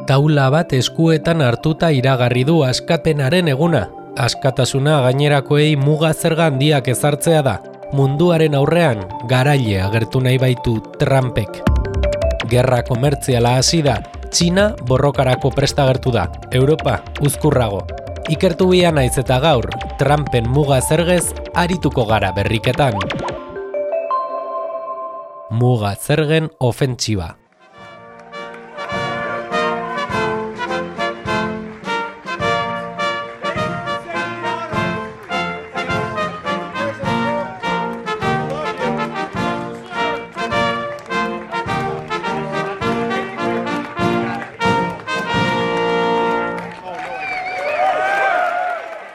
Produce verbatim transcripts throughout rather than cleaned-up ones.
taula bat eskuetan hartuta iragarri du askapenaren eguna. Askatasuna gainerakoei muga zerga handiak ezartzea da. Munduaren aurrean garaile agertu nahi baitu Trumpek. Gerra komertziala hasi da. Txina borrokarako prest agertu da. Europa uzkurrago. Ikertu bia naiz eta gaur, Trumpen muga zergez arituko gara berriketan. Muga zergen ofentsiba.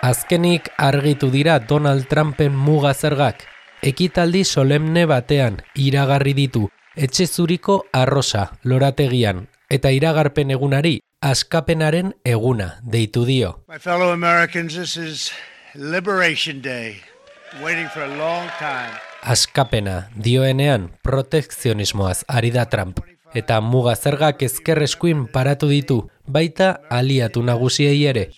Azkenik argitu dira Donald Trumpen muga zergak. Ekitaldi solemne batean iragarri ditu etxe zuriko arrosa lorategian eta iragarpen egunari askapenaren eguna deitu dio. My fellow Americans, this is Liberation Day. Waiting for a long time. Askapena dioenean protekzionismoaz ari da Trump eta muga zergak ezker eskuin paratu ditu, baita aliatu nagusiei ere.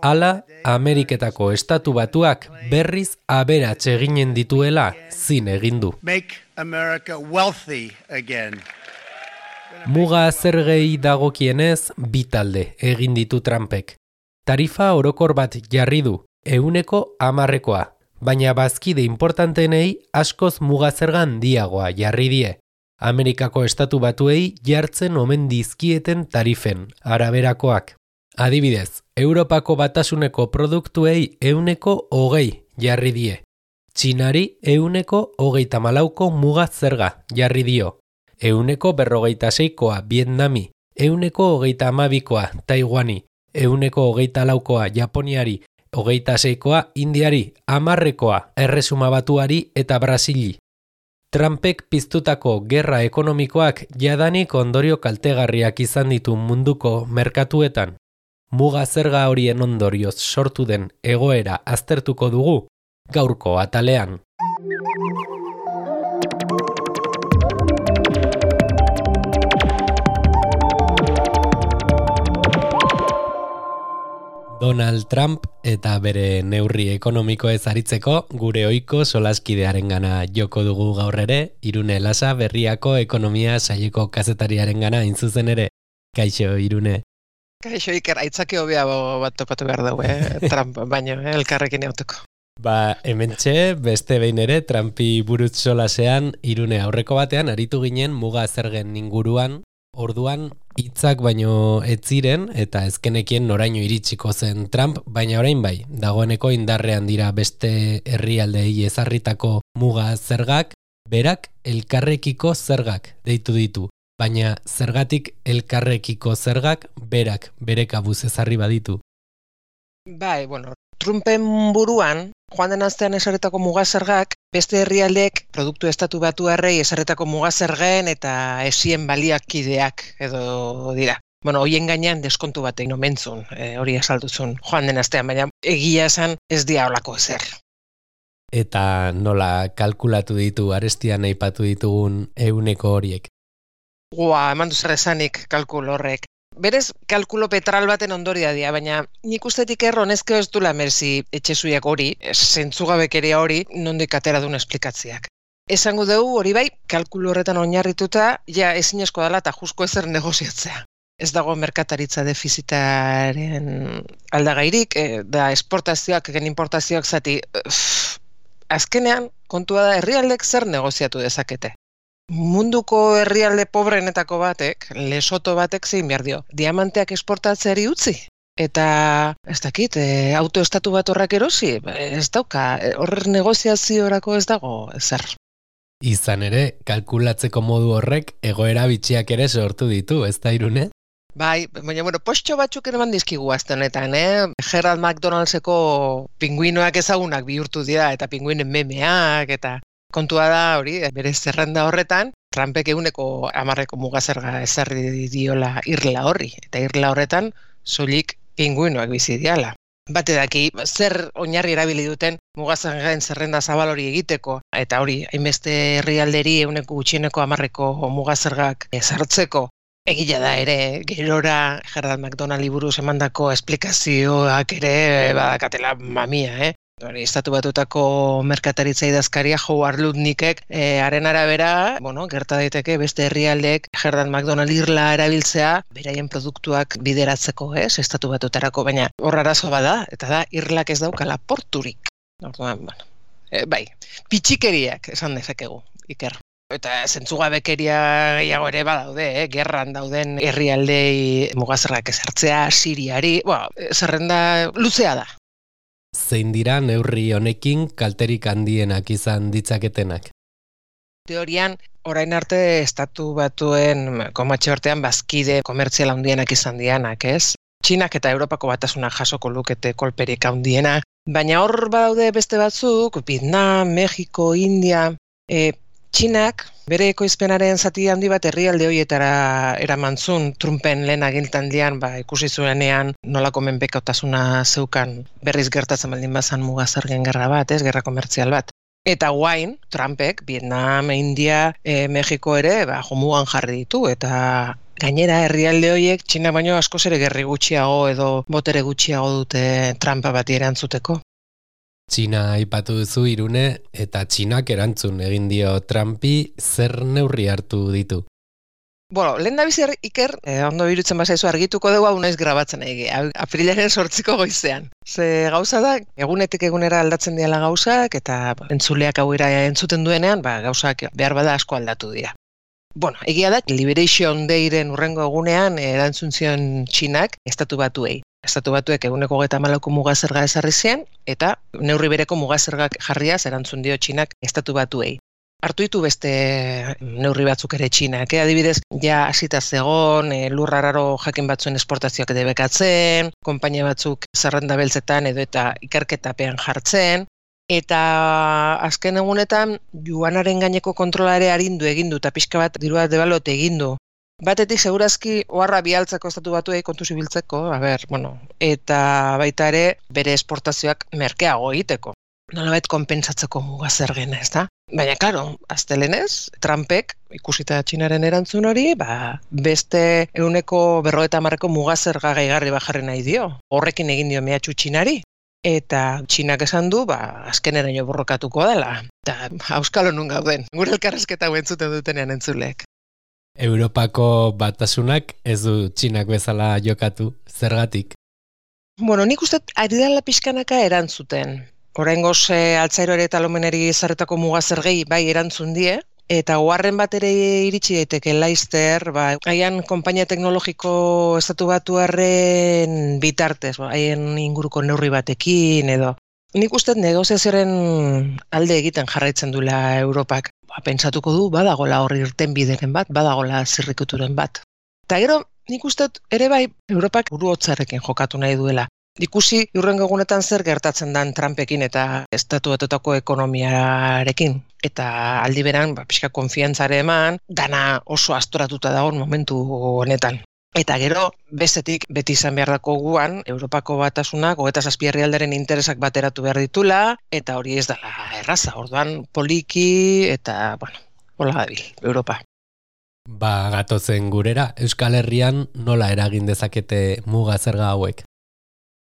Hala, Ameriketako Estatu Batuak berriz aberats eginen dituela zin egin du. Make America wealthy again. Muga zergei dagokienez bi talde egin ditu Trumpek. Tarifa orokor bat jarri du, ehuneko hamarrekoa, baina bazkide importantenei askoz muga zerga handiagoa jarri die. Amerikako Estatu Batuei jartzen omen dizkieten tarifen araberakoak. Adibidez, Europako batasuneko produktuei ehuneko hogei jarri die. Txinari ehuneko hogeita malauko muga zerga jarri dio. Ehuneko berrogeita seikoa Vietnami, ehuneko hogeita amabikoa Taiwani, ehuneko hogeita laukoa Japoniari, hogeita seikoa Indiari, hamarrekoa Erresuma Batuari eta Brasili. Trumpek piztutako gerra ekonomikoak jadanik ondorio kaltegarriak izan ditu munduko merkatuetan. Muga zerga horien ondorioz sortu den egoera aztertuko dugu gaurko atalean. Donald Trump eta bere neurri ekonomikoez aritzeko gure ohiko solaskidearengana joko dugu gaur ere, Irune Lasa Berriako ekonomia saileko kazetariarengana hain zuzen ere. Kaixo, Irune. Kaixo, Iker, aitzake hobea bat topatu behar dugu, eh? Trump, baino, eh? Elkarrekin egotuko. Ba, hementxe, beste behin ere, Trumpi buruz solasean, Irune aurreko batean, aritu ginen muga zergen inguruan, orduan hitzak baino ez ziren eta ezkenekien noraino iritsiko zen Trump, baina orain bai, dagoeneko indarrean dira beste herrialdeei ezarritako muga zergak, berak elkarrekiko zergak deitu ditu. Baina zergatik elkarrekiko zergak berak bere kabuz ezarri baditu. Bai, bueno, Trumpen buruan, joan den astean ezarritako muga zergak, beste herrialdeek produktu estatu batuarrei ezarritako muga zergen eta esien baliakideak edo dira. Bueno, hoien gainean deskontu batek nomentzun, e, hori azalduzun joan den astean, baina egia esan ez dia holako zer. Eta nola kalkulatu ditu arestian aipatu ditugun ehuneko horiek? Gua, eman duzer esanik kalkulo horrek. Berez, kalkulo petral baten ondoria dira, baina nik ustetik erron ezkeo ez dula merzi etxezuiak hori, zentzugabekeria hori, nondik atera duen esplikatziak. Esango dugu hori bai, kalkulo horretan oinarrituta, ja ezinezko dela eta jusko ezer negoziatzea. Ez dago merkataritza defizitaren aldagairik, e, da esportazioak, egen importazioak zati, uff, azkenean, kontua da herrialdek zer negoziatu dezakete. Munduko herrialde pobreenetako batek, Lesoto batek zein behar dio, diamanteak esportatzeari utzi. Eta, ez dakit, e, autoestatu bat horrak erosi, ez dauka, horrer negoziaziorako ez dago zer. Izan ere, kalkulatzeko modu horrek egoera bitxiak ere sortu ditu, ez da Irune? Bai, baina, bueno, postxo batzuk eman dizkigu azte honetan, eh? Gerald McDonaldseko pinguinoak ezagunak bihurtu dira, eta pinguinen memeak, eta... Kontua da hori, bere zerrenda horretan, Trumpek eguneko hamarreko mugazerga ezarri diola irla horri, eta irla horretan soilik pinguinoak bizi diala. Bate daki, zer oinarri erabili duten mugazergaen zerrenda zabal hori egiteko, eta hori, hainbeste herrialderi eguneko gutxieneko hamarreko mugazergak ezartzeko, Egia da ere, gerora Gerald McDonald buruz emandako esplikazioak ere badakatela mamia, eh? Hori, estatu batutako merkataritza idazkaria Howard Lutnickek eh, haren arabera, bueno, gerta daiteke beste herrialdeek Gerald McDonald irla erabiltzea beraien produktuak bideratzeko, ez, estatu batutarako, baina hor arazo bada, eta da irlak ez daukala porturik. Orduan, bueno, e, bai, pitxikeriak esan dezakegu, Iker. Eta zentzugabekeria gehiago ere badaude, eh? Gerran dauden herrialdei mugazerrak ezartzea, Siriari, bueno, zerrenda luzea da. Zein dira neurri honekin kalterik handienak izan ditzaketenak? Teorian, orain arte estatu batuen komatxe artean bazkide komertzial handienak izan dianak, ez? Txinak eta Europako Batasunak jasoko lukete kolperik handiena, baina hor badaude beste batzuk, Vietnam, Mexiko, India, e, Txinak bere ekoizpenaren zati handi bat herrialde horietara eramantzun Trumpen lehen agintaldian ba, ikusi zuenean nolako menpekotasuna zeukan berriz gertatzen baldin bazan mugazergen gerra bat, ez, gerra komertzial bat. Eta guain, Trumpek, Vietnam, India, e, Mexiko ere, ba, jomugan jarri ditu, eta gainera herrialde horiek Txina baino askoz ere gerri gutxiago edo botere gutxiago dute Trumpa bati erantzuteko. Txina aipatu duzu Irune, eta Txinak erantzun egin dio Trumpi zer neurri hartu ditu. Bueno, lehen da bizi Iker, eh, ondo irutzen bazaizu argituko dugu hau naiz grabatzen egi, aprilaren sortziko goizean. Ze gauza da, egunetik egunera aldatzen diala gauzak, eta entzuleak hau entzuten duenean, ba, gauzak behar bada asko aldatu dira. Bueno, egia da, Liberation Dayren urrengo egunean erantzun zion Txinak estatu batuei. Estatu batuek eguneko hogeita hamalauko mugazerga ezarri zien, eta neurri bereko mugazergak jarriaz erantzun dio Txinak estatu batuei. Hartu ditu beste neurri batzuk ere Txinak, eh? Adibidez, ja hasita zegon, e, lur arraro jakin batzuen esportazioak debekatzen, konpainia batzuk zerrenda beltzetan edo eta ikerketapean jartzen, eta azken egunetan juanaren gaineko kontrola ere arindu egin du, eta pixka bat dirua debalote egin du. Batetik segurazki oharra bialtzeko estatu batuei kontu zibiltzeko, a ber, bueno, eta baita ere bere esportazioak merkeago egiteko. Nolabait konpentsatzeko mugazergena, ez da? Baina, klaro, aztelenez, Trumpek, ikusita Txinaren erantzun hori, ba, beste ehuneko berrogeita hamarreko mugazerga gehigarri bajarri nahi dio. Horrekin egin dio mehatxu Txinari. Eta Txinak esan du, ba, azkeneraino borrokatuko dela. Eta auskalo nun gauden, gure elkarrezketa entzuten dutenean entzuleek. Europako Batasunak ez du Txinak bezala jokatu, zergatik? Bueno, nik uste ari dela pixkanaka erantzuten. Oraingoz e, altzairoare eta lomeneri ezarretako mugazergei bai erantzun die, eta oharren bat ere iritsi daiteke Leicester, ba, haien konpainia teknologiko estatu batuarren bitartez, ba, haien inguruko neurri batekin edo. Nik uste negoziazioaren alde egiten jarraitzen duela Europak. Ba, pentsatuko du, badagola horri irten bideren bat, badagola zirrikuturen bat. Eta gero, nik uste ere bai, Europak buru hotzarekin jokatu nahi duela. Ikusi hurrengo egunetan zer gertatzen dan Trumpekin eta estatu batutako ekonomiarekin. Eta aldi beran, ba, pixka konfiantzare eman, dana oso astoratuta dagoen momentu honetan. Eta gero, bestetik, beti izan behar dako guan, Europako Batasunak, hogeita zazpi herrialderen interesak bateratu behar ditula, eta hori ez dela erraza, orduan poliki, eta, bueno, hola dabil, Europa. Ba, gatozen gurera, Euskal Herrian nola eragin dezakete mugazerga hauek?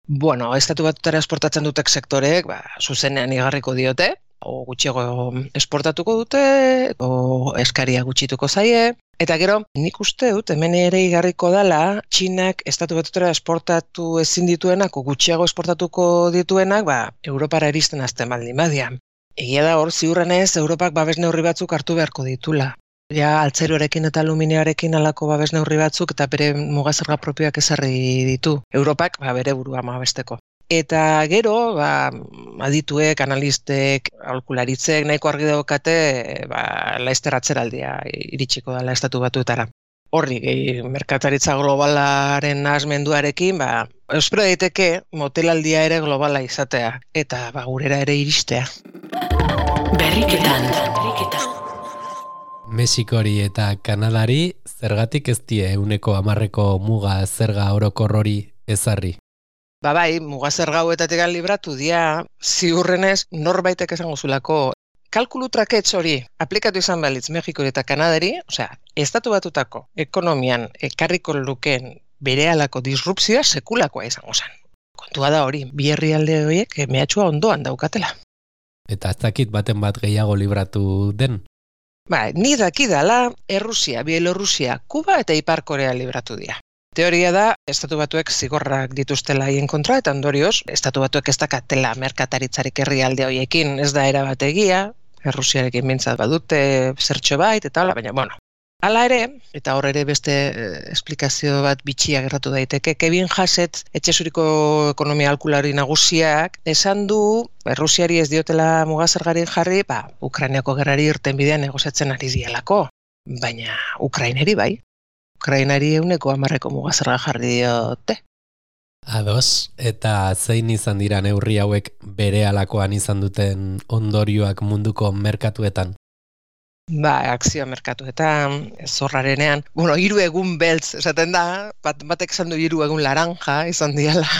Bueno, estatu batutara esportatzen dutek sektoreek, ba, zuzenean igarriko diote, o gutxiago esportatuko dute, o eskaria gutxituko zaie, eta gero, nik uste dut, hemen ere igarriko dela, Txinak estatu batutara esportatu ezin dituenak, o gutxiago esportatuko dituenak, ba, Europara iristen azten baldin badian. Egia da hor, ziurrenez, Europak babes neurri batzuk hartu beharko ditula. Ja, altzairuarekin eta aluminearekin alako babes neurri batzuk eta bere mugazerga propioak ezarri ditu. Europak, ba, bere burua babesteko. Eta gero, ba, adituek, analistek, aholkularitzek nahiko argi daukate, ba, Leicester atzeraldia iritsiko dela estatu batuetara. Horri, gehi, merkataritza globalaren nahasmenduarekin, ba, espero daiteke motelaldia ere globala izatea, eta ba, gurera ere iristea. Berriketan, berriketan. Mexikori eta Kanadari zergatik ez die ehuneko hamarreko muga zerga orokor hori ezarri? Ba bai, mugazerga hauetatik libratu dia, ziurrenez norbaitek esango zulako kalkulu traketz hori aplikatu izan balitz Mexikori eta Kanadari, osea, estatu batutako ekonomian ekarriko lukeen berehalako disrupzioa sekulakoa izango zen. Kontua da hori, bi herrialde horiek mehatxua ondoan daukatela. Eta ez dakit baten bat gehiago libratu den? Ba, ni dakidala, Errusia, Bielorrusia, Kuba eta Ipar Korea libratu dira. Teoria da, estatu batuek zigorrak dituztela haien kontra, eta ondorioz, estatu batuek ez dakatela merkataritzarik herrialde horiekin, ez da erabat egia, Errusiarekin bintzat badute zertxo bait, eta hala, baina, bueno. Hala ere, eta hor ere beste eh, esplikazio bat bitxia gertatu daiteke, Kevin Hassett, etxesuriko ekonomia alkulari nagusiak, esan du, Errusiari ez diotela mugazergarik jarri, ba, Ukrainiako gerrari irten bidean negoziatzen ari dialako, baina Ukraineri bai. Ukrainari euneko hamarreko mugazerga jarri diote. Ados, eta zein izan dira neurri hauek berehalakoan izan duten ondorioak munduko merkatuetan? Ba, akzio merkatuetan, zorrarenean, bueno, hiru egun beltz, esaten da, bat, batek esan du hiru egun laranja izan diala.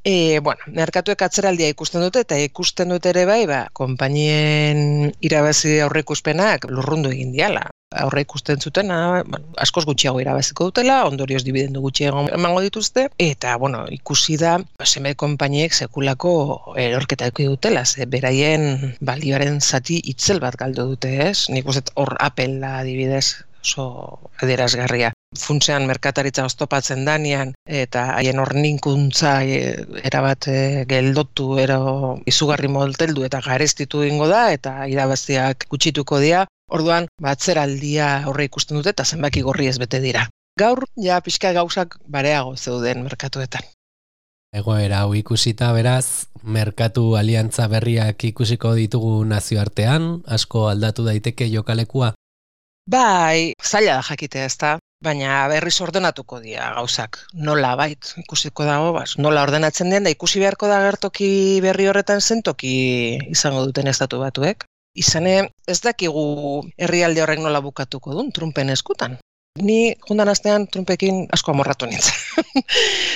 E, bueno, merkatuek atzeraldia ikusten dute, eta ikusten dute ere bai, ba, konpainien irabazi aurreikuspenak lurrundu egin diala. Aurre ikusten zutena, bueno, askoz gutxiago irabaziko dutela, ondorioz dibidendu gutxiago emango dituzte, eta, bueno, ikusi da, seme konpainiek sekulako erorketa eki dutela, ze beraien balioaren zati itzel bat galdu dute, ez? Nik uste hor Apple adibidez, oso adierazgarria. Funtsean merkataritza oztopatzen danean, eta haien horninkuntza e, erabat e, geldotu, ero izugarri molteldu eta garestitu ingo da, eta irabaziak gutxituko dira. Orduan, batzeraldia horre ikusten dute eta zenbaki gorri ez bete dira. Gaur, ja, pixka gauzak bareago zeuden merkatuetan. Egoera hau ikusita beraz, merkatu aliantza berriak ikusiko ditugu nazioartean, asko aldatu daiteke jokalekua? Bai, zaila da jakitea ezta, baina berriz ordenatuko dira gauzak. Nola bait, ikusiko dago, bas, nola ordenatzen den, da ikusi beharko da gertoki berri horretan zentoki izango duten estatu batuek. Izane, ez dakigu herrialde horrek nola bukatuko duen, Trumpen eskutan. Ni jundan astean Trumpekin asko amorratu nintzen.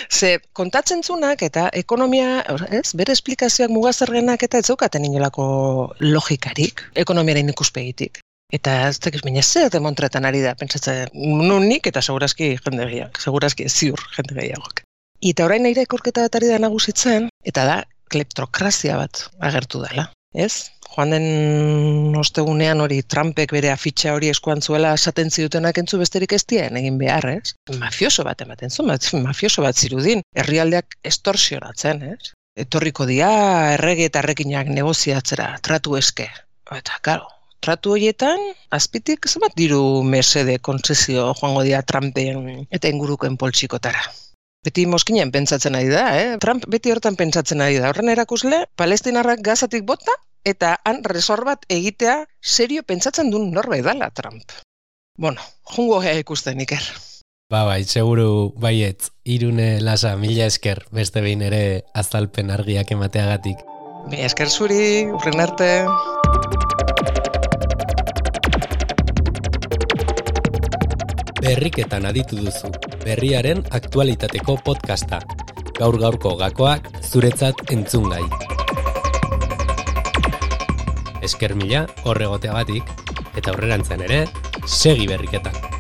Ze, kontatzen zunak eta ekonomia, ez, bere esplikazioak mugazergenak eta ez zaukaten inolako logikarik, ekonomiaren ikuspegitik. Eta ez dakiz, baina zer demontretan ari da, pentsatzen, nunik eta segurazki jende gehiago, segurazki ziur jende gehiagok. Eta orain nire korketa bat ari da nagusitzen, eta da, kleptokrazia bat agertu dela, ez? Joan den ostegunean hori Trumpek bere afitxa hori eskuan zuela esaten zidutenak entzu besterik ez dien egin behar, ez? Mafioso bat ematen zuen, mafioso bat zirudin, herrialdeak estorsionatzen, ez? Etorriko dia errege eta errekinak negoziatzera, tratu eske. Eta, karo, tratu horietan, azpitik zenbat diru mesede kontzesio joango dira Trumpen eta ingurukoen poltsikotara. Beti moskinen pentsatzen ari da, eh? Trump beti hortan pentsatzen ari da. Horren erakusle, palestinarrak gazatik bota, eta han resor bat egitea serio pentsatzen duen norbait dala Trump. Bueno, jungo gea ikusten Iker. Ba bai, seguru baietz, Irune Lasa, mila esker, beste behin ere azalpen argiak emateagatik. Mila esker zuri, urren arte. Berriketan aditu duzu, berriaren aktualitateko podcasta. Gaur-gaurko gakoak zuretzat entzungai. Esker mila horregoteagatik, eta aurrerantzean ere, segi berriketan.